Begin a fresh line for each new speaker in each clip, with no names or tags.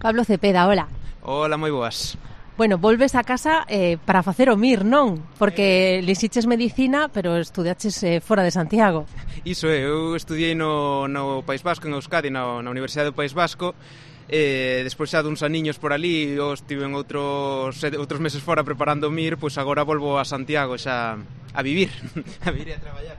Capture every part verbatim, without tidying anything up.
Pablo Cepeda, hola.
Hola, moi boas.
Bueno, volves a casa eh, para facer o M I R, non? Porque lixiches medicina, pero estudiaches eh, fora de Santiago.
Iso é, eu estudiei no, no País Vasco, en Euskadi, na, na Universidade do País Vasco, e despois xa duns aniños por ali, eu estive en outros, outros meses fora preparando o M I R, pois agora volvo a Santiago xa a vivir, a vivir e a traballar.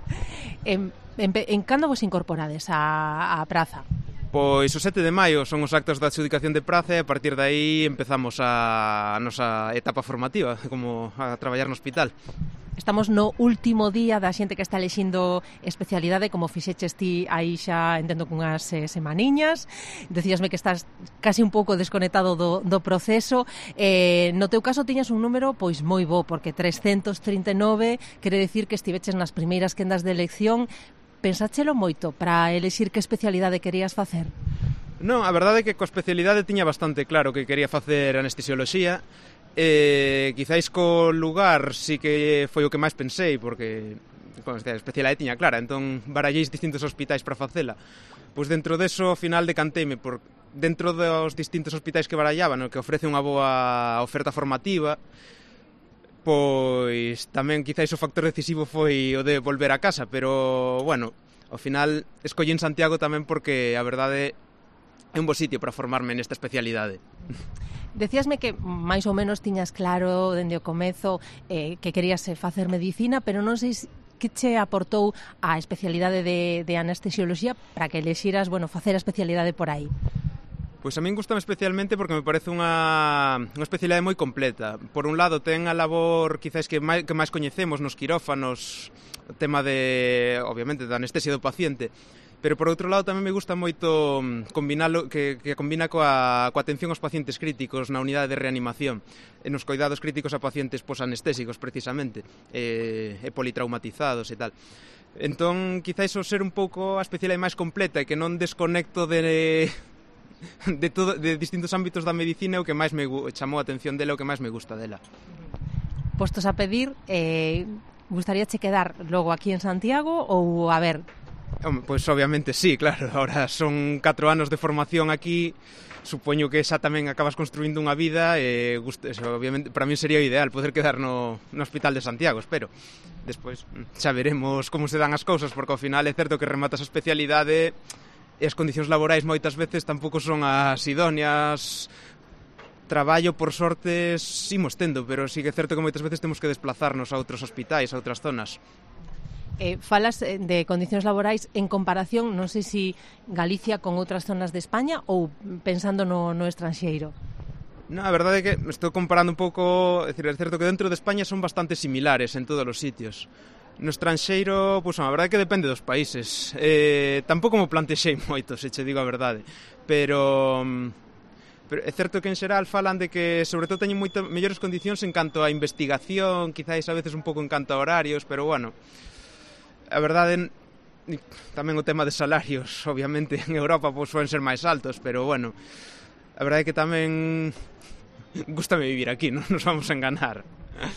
En, en, en cando vos incorporades á, á praza?
Pois o sete de maio son os actos da adxudicación de praza e a partir de aí empezamos a, a nosa etapa formativa, como a traballar no hospital.
Estamos no último día da xente que está elixindo especialidade, como fixeches ti aí xa entendo cunhas eh, semaniñas. Decíasme que estás casi un pouco desconectado do, do proceso. Eh, no teu caso tiñas un número pois moi bo, porque trescentos trinta e nove quere decir que estiveches nas primeiras quendas de elección. Pensáchelo moito para elixir que especialidade querías facer?
Non, a verdade é que coa especialidade tiña bastante claro que quería facer anestesioloxía. E quizáis co lugar sí que foi o que máis pensei, porque con a especialidade tiña clara, entón baralléis distintos hospitais para facela. Pois dentro deso, ao final decanteime por dentro dos distintos hospitais que barallaba, no que ofrece unha boa oferta formativa. Pois tamén quizáis o factor decisivo foi o de volver a casa, pero, bueno, ao final escollín Santiago tamén porque a verdade é un bo sitio para formarme nesta especialidade.
Decíasme que máis ou menos tiñas claro dende o comezo eh, que querías facer medicina, pero non sei que che aportou a especialidade de, de anestesioloxía para que lexiras, bueno, facer a especialidade por aí.
Pois a min gustame especialmente porque me parece unha, unha especialidade moi completa. Por un lado, ten a labor quizás que máis, que máis coñecemos nos quirófanos, o tema de, obviamente, da anestesia do paciente, pero por outro lado tamén me gusta moito combinalo, que, que combina coa, coa atención aos pacientes críticos na unidade de reanimación, e nos cuidados críticos a pacientes posanestésicos, precisamente, e, e politraumatizados e tal. Entón, quizás o ser un pouco a especialidade máis completa e que non desconecto de... De, todo, de distintos ámbitos da medicina o que máis me chamou a atención dela, o que máis me gusta dela.
Postos a pedir, eh, gustaríache quedar logo aquí en Santiago ou a ver?
Pois obviamente sí, claro, ahora son catro anos de formación aquí, supoño que xa tamén acabas construindo unha vida e gusta, eso, obviamente para mí sería o ideal poder quedar no, no Hospital de Santiago, espero. Despois xa veremos como se dan as cousas, porque ao final é certo que rematas a especialidade e as condicións laborais moitas veces tampouco son as idóneas. Traballo, por sorte, imos tendo, pero sí que é certo que moitas veces temos que desplazarnos a outros hospitais, a outras zonas.
Eh, falas de condicións laborais en comparación, non sei se Galicia con outras zonas de España ou pensando no, no estranxeiro.
No, a verdade é que estou comparando un pouco, é, dicir, é certo que dentro de España son bastante similares en todos os sitios. No estranxeiro, pois, a verdade é que depende dos países. Eh, tampouco me plantexei moito, se che digo a verdade. Pero, pero é certo que en xeral falan de que, sobre todo, teñen moito mellores condicións en canto a investigación, quizáis a veces un pouco en canto a horarios, pero, bueno, a verdade, tamén o tema de salarios, obviamente, en Europa pois poden ser máis altos, pero, bueno, a verdade é que tamén gústame vivir aquí, non nos vamos a enganar.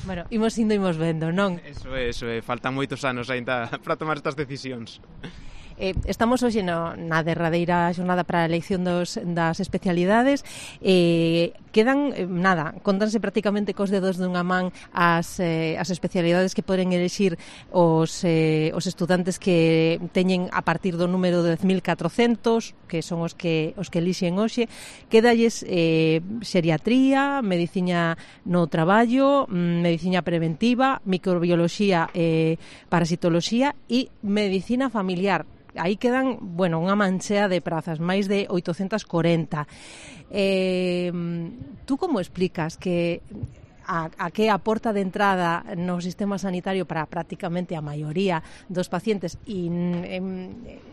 Bueno, imos indo, imos vendo, non?
Eso é, eso é, faltan moitos anos ainda para tomar estas decisións.
Eh, estamos hoxe no, na derradeira xornada para a elección dos, das especialidades. Eh, quedan, eh, nada, contanse prácticamente cos dedos dunha man as, eh, as especialidades que poden elixir os, eh, os estudantes que teñen a partir do número de dez mil catrocentos, que son os que os que elixen hoxe. Quedalles eh, xeriatría, medicina no traballo, medicina preventiva, microbioloxía, eh, parasitoloxía e medicina familiar. Aí quedan, bueno, unha manchea de prazas, máis de oitocentos corenta. Eh, tú como explicas que a, a que aporta de entrada no sistema sanitario para prácticamente a maioría dos pacientes e eh,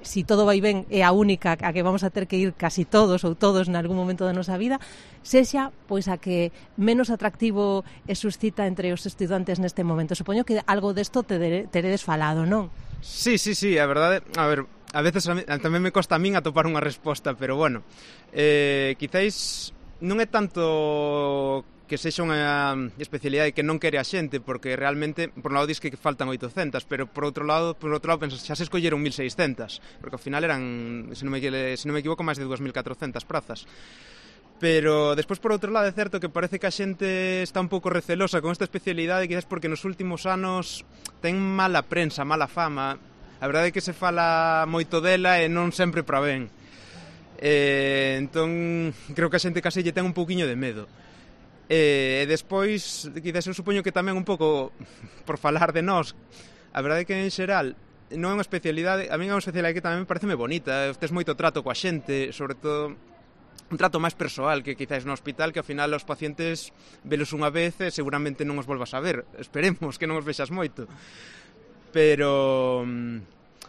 si todo vai ben é a única a que vamos a ter que ir casi todos ou todos en algún momento da nosa vida, sexa pois a que menos atractivo e suscita entre os estudantes neste momento? Supoño que algo desto te teredes falado, non?
Sí, sí, sí, a verdade, a ver, a veces a mí, tamén me costa a min atopar unha resposta, pero bueno, eh, quizáis non é tanto que sexa unha especialidade que non quere a xente, porque realmente, por un lado, dis que faltan oitocentas, pero por outro lado, por outro lado pensas, xa se escolleron mil seiscentas, porque ao final eran, se non me, se non me equivoco, máis de dúas mil catrocentas prazas. Pero despois, por outro lado, é certo que parece que a xente está un pouco recelosa con esta especialidade, quizás porque nos últimos anos ten mala prensa, mala fama. A verdade é que se fala moito dela e non sempre para ben. Eh, entón, creo que a xente case lle ten un pouquiño de medo. E despois, quizás eu supoño que tamén un pouco por falar de nós, a verdade é que en xeral non é unha especialidade, a mí é unha especialidade que tamén me pareceme bonita, tes moito trato coa xente, sobre todo un trato máis persoal que quizás no hospital, que ao final os pacientes velos unha vez e seguramente non os volvas a ver, esperemos que non os vexas moito, pero...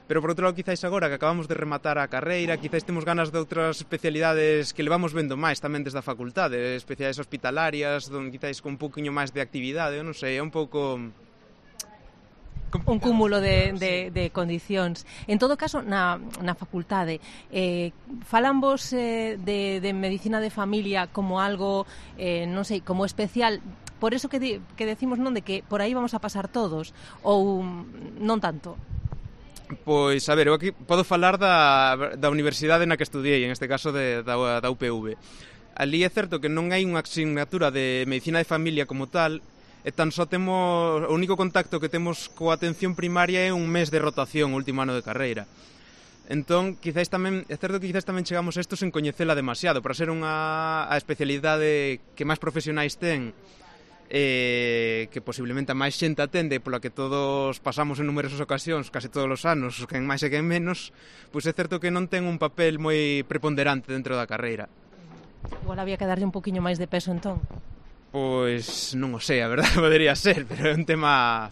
Pero por outro lado, quizáis agora que acabamos de rematar a carreira, quizáis temos ganas de outras especialidades que levamos vendo máis tamén desde a facultade, especialidades hospitalarias, donde quizáis con un pouquiño máis de actividade, eu non sei, é un pouco...
Un cúmulo de, de, de condicións. En todo caso, na, na facultade, eh, falan vos eh, de, de medicina de familia como algo, eh, non sei, como especial, por eso que, di, que decimos non de que por aí vamos a pasar todos, ou non tanto?
Pois, a ver, eu aquí podo falar da, da universidade na que estudiei, en este caso de, da, da U P V. Ali é certo que non hai unha asignatura de medicina de familia como tal, e tan só temos, o único contacto que temos coa atención primaria é un mes de rotación, o último ano de carreira. Entón, quizáis tamén, é certo que quizáis tamén chegamos a isto sen coñecela demasiado, para ser unha a especialidade que máis profesionais ten, eh, que posiblemente a máis xente atende, pola que todos pasamos en numerosas ocasións, case todos os anos, quen máis e quen menos, pois é certo que non ten un papel moi preponderante dentro da carreira.
Igual había que darlle un poquinho máis de peso, entón?
Pois non o sei, a verdade podería ser, pero é un tema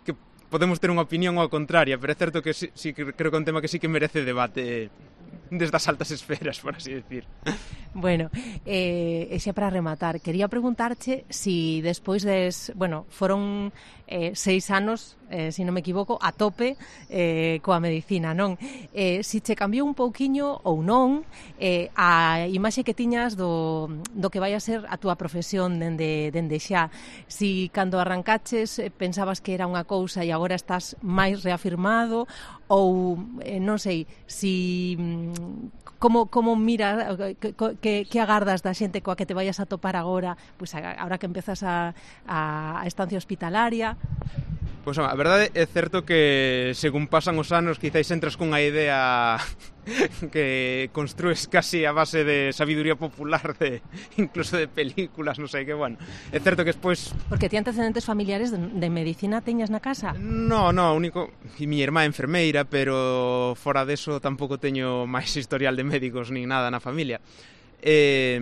que podemos ter unha opinión ou a contraria, pero é certo que sí, sí, creo que é un tema que sí que merece debate desde as altas esferas, por así decir.
Bueno, eh, e xa para rematar, quería preguntarche si despois des, bueno, foron eh, seis anos, eh, se non me equivoco, a tope eh, coa medicina, non? Eh, si che cambiou un pouquiño ou non eh, a imaxe que tiñas do, do que vai a ser a túa profesión dende, dende xa, si cando arrancaches eh, pensabas que era unha cousa e agora estás máis reafirmado, ou eh, non sei, si como, como mira que, que, que agardas da xente coa que te vayas a topar agora, pois agora que empezas a, a, a estancia hospitalaria.
Pois a verdade é certo que según pasan os anos quizáis entras cunha idea que construes casi a base de sabiduría popular, de incluso de películas, non sei que, bueno, é certo que despois...
Porque ti antecedentes familiares de, de medicina teñas na casa?
No, no, único... E mi irmá é enfermeira, pero fora deso tampouco teño máis historial de médicos nin nada na familia. Eh...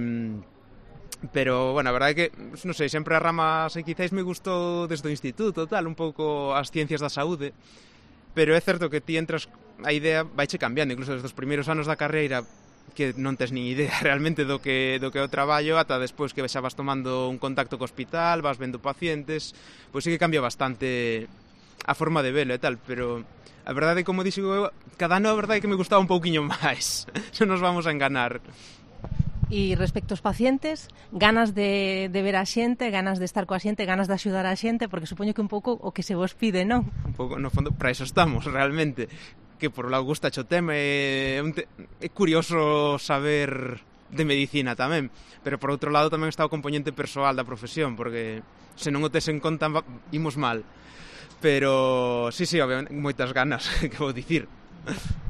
Pero, bueno, a verdade é que, non sei, sempre a rama, sei, quizáis me gustou desde o instituto, tal, un pouco as ciencias da saúde, pero é certo que ti entras, a idea vaiche cambiando, incluso desde os primeiros anos da carreira, que non tes nin idea realmente do que, do que é o traballo, ata despois que xa vas tomando un contacto co hospital, vas vendo pacientes, pois sí que cambia bastante a forma de velo e tal, pero a verdade, como dixo eu, cada ano a verdade é que me gustaba un pouquiño máis, non nos vamos a enganar.
E respecto aos pacientes, ganas de, de ver a xente, ganas de estar coa xente, ganas de axudar a xente, porque supoño que un pouco o que se vos pide, non?
Un pouco, no fondo, para iso estamos, realmente. Que por un lado gusta o tema, é, un te... é curioso saber de medicina tamén, pero por outro lado tamén está o componente persoal da profesión, porque se non o tes en conta, imos mal. Pero, sí, sí, obviamente, moitas ganas, que vou dicir.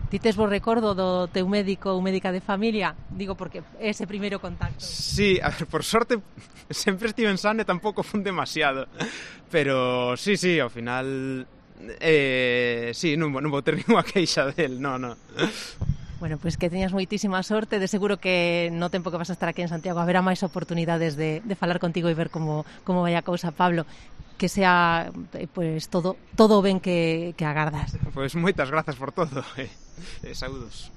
Ti tes vos recordo do teu médico ou médica de familia? Digo, porque ese primeiro contacto.
Sí, a ver, por sorte sempre estive en sane, tampouco fun demasiado. Pero sí, sí, ao final eh, sí, non, non vou ter ninguna queixa del, no, no.
Bueno, pois pues que teñas moitísima sorte, de seguro que no tempo que vas a estar aquí en Santiago haberá máis oportunidades de, de falar contigo e ver como, como vai a cousa, Pablo. Que sea pues todo todo ben que, que agardas.
Pois moitas grazas por todo. Eh, eh, saúdos.